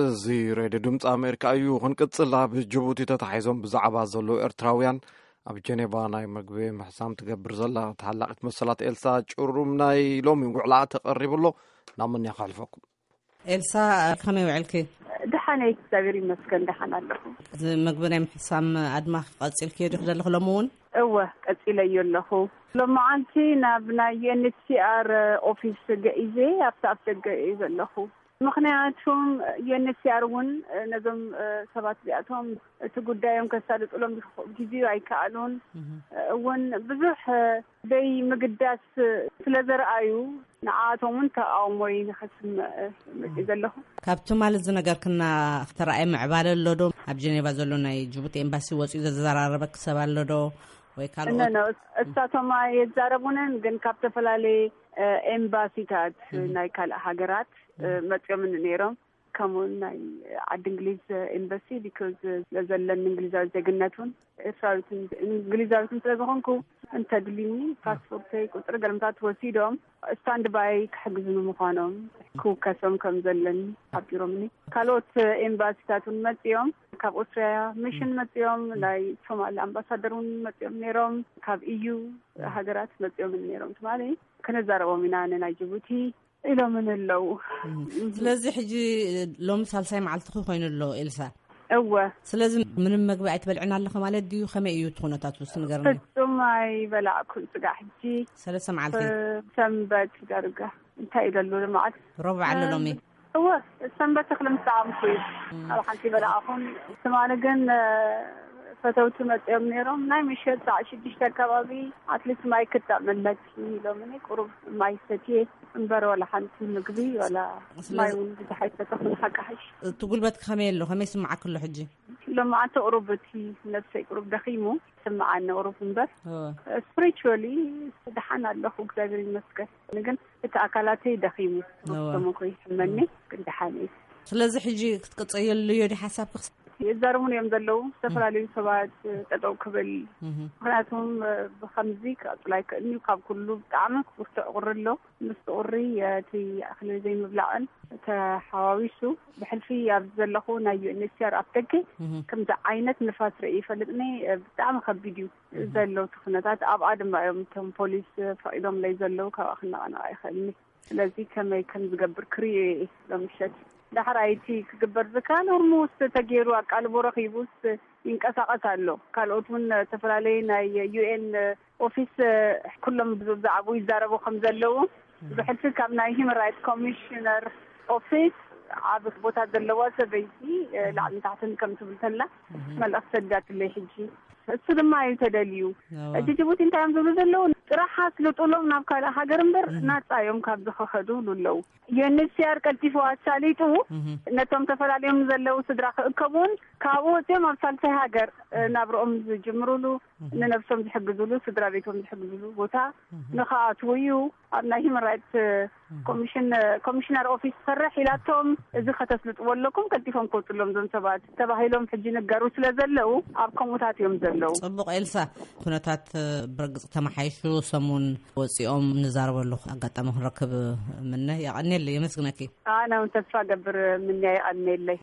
እዚ ሬድዮ ድምፂ ኣሜሪካ እዩ። ክንቅፅል፣ ኣብ ጅቡቲ ተታሒዞም ብዛዕባ ዘለዉ ኤርትራውያን ኣብ ጀኔቫ ናይ መግቢ ምሕሳም ትገብር ዘላ ተሓላቂት መሰላት ኤልሳ ጭሩም ናይ ሎሚ ውዕላ ተቐሪቡ ኣሎ። ናብ መን እያ ከሕልፈኩም? ኤልሳ፣ ከመይ ውዕልኪ? ደሓን እየ፣ እግዚኣብሔር ይመስገን፣ ደሓን ኣለኹ። እዚ መግቢ ናይ ምሕሳም ኣድማ ቀፂልክዮ ዲኹ ዘለኹ ሎሚ እውን? እወ፣ ቀፂለዮ ኣለኹ። ሎማዓንቲ ናብ ናይ ዩ ኤን ኤች ሲ ኣር ኦፊስ ገኢዘ ኣብቲ ኣፍ ደገ እየ ዘለኹ። ምኽንያቱም ዩ ኤን ኤች ሲ ኣር እውን ነዞም ሰባት እዚኣቶም እቲ ጉዳዮም ከሳልጥሎም ግዜኡ ኣይከኣሉን። እውን ብዙሕ ደይ ምግዳስ ስለ ዘርኣዩ፣ ንዓኣቶም እውን ተቃውሞይ ንኸስምዕ መፅእ ዘለኹ። ካብ ትማሊ ዝነገርክና፣ ተረኣየ ምዕባለ ኣሎ ዶ? ኣብ ጀኔቫ ዘሎ ናይ ጅቡቲ ኤምባሲ ወፂኡ ዘዘራረበክ ሰብ ኣሎ ዶ? ወይ ካልኦት? እሳቶም የዛረቡንን፣ ግን ካብ ዝተፈላለየ ኤምባሲታት ናይ ካልእ ሃገራት መፅኦም ነይሮም። ከምኡውን ናይ ዓዲ እንግሊዝ ኤምባሲ፣ ቢኮዝ ስለዘለኒ እንግሊዛዊ ዜግነት እውን ኤርትራዊትን እንግሊዛዊትን ስለ ዝኾንኩ፣ እንተድልኒ ፓስፖርተይ፣ ቁፅሪ ገለምታት ወሲዶም ስታንድ ባይ ክሕግዙኒ ምዃኖም፣ ክውከሶም ከም ዘለኒ ሓቢሮምኒ። ካልኦት ኤምባሲታት እውን መፂኦም፣ ካብ ኦስትሪያ ሚሽን መፂኦም፣ ናይ ሶማል ኣምባሳደር እውን መፂኦም ነይሮም፣ ካብ ኢዩ ሃገራት መፂኦም ነይሮም። ትማሊ ክንዛረቦም ኢና ንናይ ጅቡቲ ኢሎምን ኣለዉ። ስለዚ ሕጂ ሎሚ ሳልሳይ መዓልትኺ ኮይኑ ኣሎ ኤልሳ። እወ። ስለዚ ምንም መግቢ ኣይትበልዕን ኣለኺ ማለት ድዩ? ከመይ እዩ እቲ ኩነታት ውስ ንገርኒ? ፍጹም ኣይበላዕኩን ስጋዕ ሕጂ። ሰለስተ መዓልቲ? ሰንበት ዳርጋ። እንታይ እዩ ዘሎ መዓልቲ? ረቡዕ ኣሎ ሎሚ? እወ፣ ሰንበት እኽሊ ምስ ጠዓምኩ እዩ። ኣብ ሓንቲ በላዕኹን። ትማሊ ግን ፈተውቲ መፅኦም ነይሮም። ናይ ምሸት ሰዓት ሽዱሽተ ኣካባቢ ኣትሊስት ማይ ክጠዕመለኪ ኢሎምኒ። ቁሩብ ማይ ሰትየ እምበር ዋላ ሓንቲ ምግቢ ዋላ ማይ እውን ብዙሕ ኣይሰተኹን። ሓቂ ሓሽ። እቲ ጉልበት ከመይ ኣሎ? ከመይ ስምዓክ ኣሎ ሕጂ? ሎማዓንቲ ቁሩብ እቲ ነብሰይ ቁሩብ ደኺሙ ስምዓኒ ቁሩብ እምበር፣ ስፕሪቹዋሊ ደሓን ኣለኹ፣ እግዚኣብሔር ይመስገን። ግን እቲ ኣካላተይ ደኺሙ፣ ተሞኮ ይሕመኒ፣ ግን ደሓን እዩ። ስለዚ ሕጂ ክትቅፅየሉ እዮ ዲ ሓሳብክ? ይዛረቡን እዮም ዘለዉ፣ ዝተፈላለዩ ሰባት ጠጠው ክብል። ምኽንያቱም ብኸምዚ ክቕፅል ኣይክእልን እዩ። ካብ ኩሉ ብጣዕሚ ብርቱዕ ቁሪ ኣሎ። ምስ ቁሪ እቲ ኣኽሊ ዘይምብላዕን ተሓዋዊሱ ብሕልፊ ኣብዚ ዘለኹ ናይ ዩ ኤን ኤች ሲ ኣር ኣፍ ደገ ከምዚ ዓይነት ንፋስ ርኢ ይፈልጥኒ። ብጣዕሚ ከቢድ እዩ ዘሎ እቲ ኩነታት። ኣብኣ ድማ እዮም እቶም ፖሊስ ፈቒዶምለይ ዘለዉ፣ ካብኣ ክነቐነቕ ኣይኽእልኒ። ስለዚ ከመይ ከም ዝገብር ክርእዮ እየ ሎም ምሸት። ዳሕራይ እቲ ክግበር ዝከኣል ኦርሞስት ተገይሩ ኣቃልቦ ረኺቡስ ይንቀሳቐስ ኣሎ። ካልኦት እውን ዝተፈላለዩ ናይ ዩ ኤን ኦፊስ ኩሎም ብዛዕባኡ ይዛረቡ ከም ዘለዉ ብሕልፊ ካብ ናይ ሂማን ራይት ኮሚሽነር ኦፊስ ዓቢ ቦታ ዘለዋ ሰበይቲ ላዕሊ ታሕትን ከም ትብል ተላ መልእኽቲ ሰዲዳትለይ ሕጂ። እሱ ድማ እዩ ተደልዩ። ሕጂ ጅቡቲ እንታይ እዮም ዝብሉ ዘለዉ? ጥራሕ ኣስልጡሎም ናብ ካልእ ሃገር እምበር ናጻ እዮም ካብ ዝኸኸዱ ይብሉ ኣለዉ። ዩ ኤን ኤች ሲ ኣር ቀልጢፉ ኣሳሊጡ ነቶም ተፈላለዮም ዘለዉ ስድራ ክእከቡን ካብኡ ወፂኦም ኣብ ሳልሳይ ሃገር ናብርኦም ዝጅምሩሉ፣ ንነብሶም ዝሕግዙሉ፣ ስድራ ቤቶም ዝሕግዙሉ ቦታ ንኽኣትዉ እዩ። ኣብ ናይ ሂማን ራይት ኮሚሽን ኮሚሽነር ኦፊስ ትሰርሕ ኢላቶም፣ እዚ ከተስልጥዎ ኣለኩም፣ ቀልጢፎም ክወፅሎም እዞም ሰባት ተባሂሎም ሕጂ ንገሩ ስለ ዘለዉ ኣብ ከምኡታት እዮም ዘለዉ። ፅቡቕ ኤልሳ፣ ኩነታት ብርግፅ ተመሓይሹ ሰሙን ወፂኦም ንዛረበሉ ኣጋጣሚ ክንረክብ ምነ። የቐንየለይ፣ የመስግነኪ። ኣነ እውን ተስፋ ገብር ምንያ፣ የቐንየለይ።